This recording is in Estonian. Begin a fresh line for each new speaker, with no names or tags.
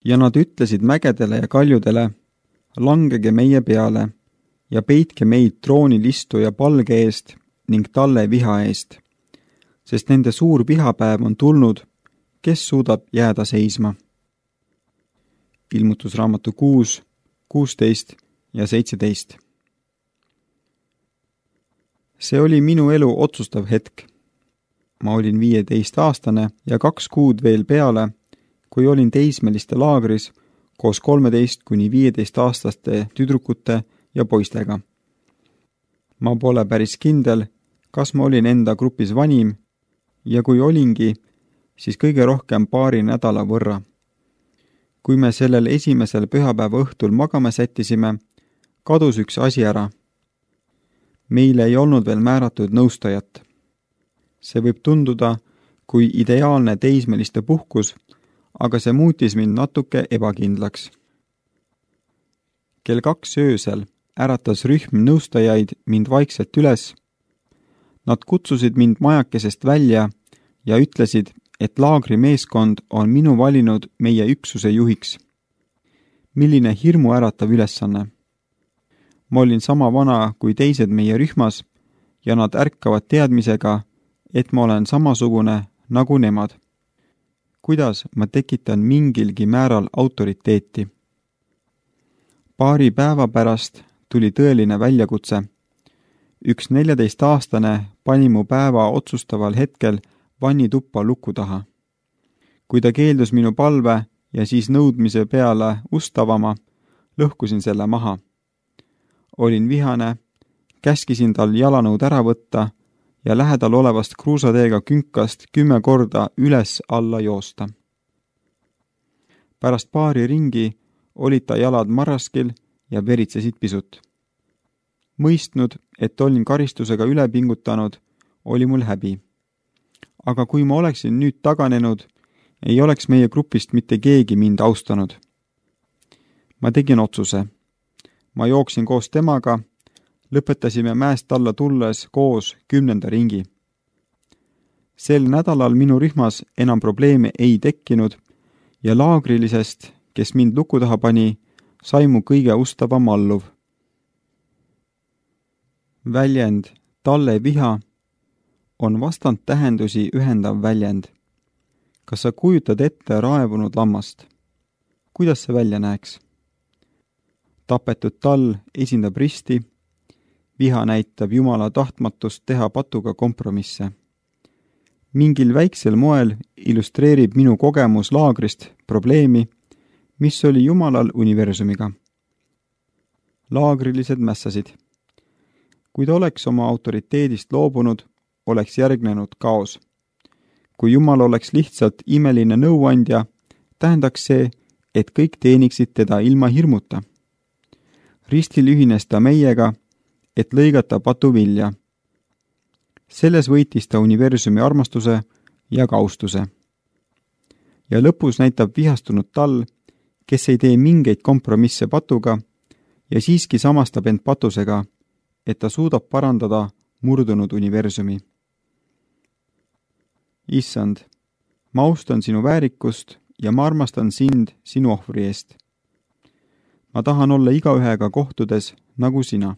Ja nad ütlesid mägedele ja kaljudele, langege meie peale ja peitke meid troonilistuja palge eest ning talle viha eest, sest nende suur vihapäev on tulnud, kes suudab jääda seisma. Ilmutusraamatu 6, 16 ja 17. See oli minu elu otsustav hetk. Ma olin 15-aastane ja 2 kuud veel peale, kui olin teismeliste laagris koos 13–15-aastaste tüdrukute ja poistega. Ma pole päris kindel, kas ma olin enda grupis vanim ja kui olingi, siis kõige rohkem paari nädala võrra. Kui me sellel esimesel pühapäeva õhtul magama sättisime, kadus üks asi ära. Meile ei olnud veel määratud nõustajat. See võib tunduda kui ideaalne teismeliste puhkus, aga see muutis mind natuke ebakindlaks. Kell 2 öösel äratas rühm nõustajaid mind vaikselt üles. Nad kutsusid mind majakesest välja ja ütlesid, et laagri meeskond on minu valinud meie üksuse juhiks. Milline hirmu äratav ülesanne. Ma olin sama vana kui teised meie rühmas ja nad ärkavad teadmisega, et ma olen samasugune nagu nemad. Kuidas ma tekitan mingilgi määral autoriteeti? Paari päeva pärast tuli tõeline väljakutse. Üks 14-aastane pani mu päeva otsustaval hetkel vannituppa luku taha. Kui ta keeldus minu palve ja siis nõudmise peale ust avama, lõhkusin selle maha. Olin vihane, käskisin tal jalanõud ära võtta ja lähedal olevast kruusateega künkast 10 korda üles-alla joosta. Pärast paari ringi olid ta jalad marraskil ja veritsesid pisut. Mõistnud, et olin karistusega üle pingutanud, oli mul häbi. Aga kui ma oleksin nüüd taganenud, ei oleks meie grupist mitte keegi mind austanud. Ma tegin otsuse. Ma jooksin koos temaga, lõpetasime mäest alla tulles koos 10. ringi. Sel nädalal minu rühmas enam probleeme ei tekkinud ja laagrilisest, kes mind luku taha pani, sai mu kõige ustavam alluv. Väljend talle viha on vastandtähendusi ühendav väljend. Kas sa kujutad ette raevunud lammast? Kuidas see välja näeks? Tapetud tall esindab risti, viha näitab Jumala tahtmatust teha patuga kompromisse. Mingil väiksel moel illustreerib minu kogemus laagrist probleemi, mis oli Jumalal universumiga. Laagrilised mässasid. Kui ta oleks oma autoriteedist loobunud, oleks järgnenud kaos. Kui Jumal oleks lihtsalt imeline nõuandja, tähendaks see, et kõik teeniksid teda ilma hirmuta. Ristil ühines ta meiega, et lõigata patuvilja. Selles võitis ta universumi armastuse ja kaustuse. Ja lõpus näitab vihastunud tall, kes ei tee mingeid kompromisse patuga ja siiski samastab end patusega, et ta suudab parandada murdunud universumi. Issand, ma austan sinu väärikust ja ma armastan sind sinu ohvri eest. Ma tahan olla igaühega kohtudes nagu sina.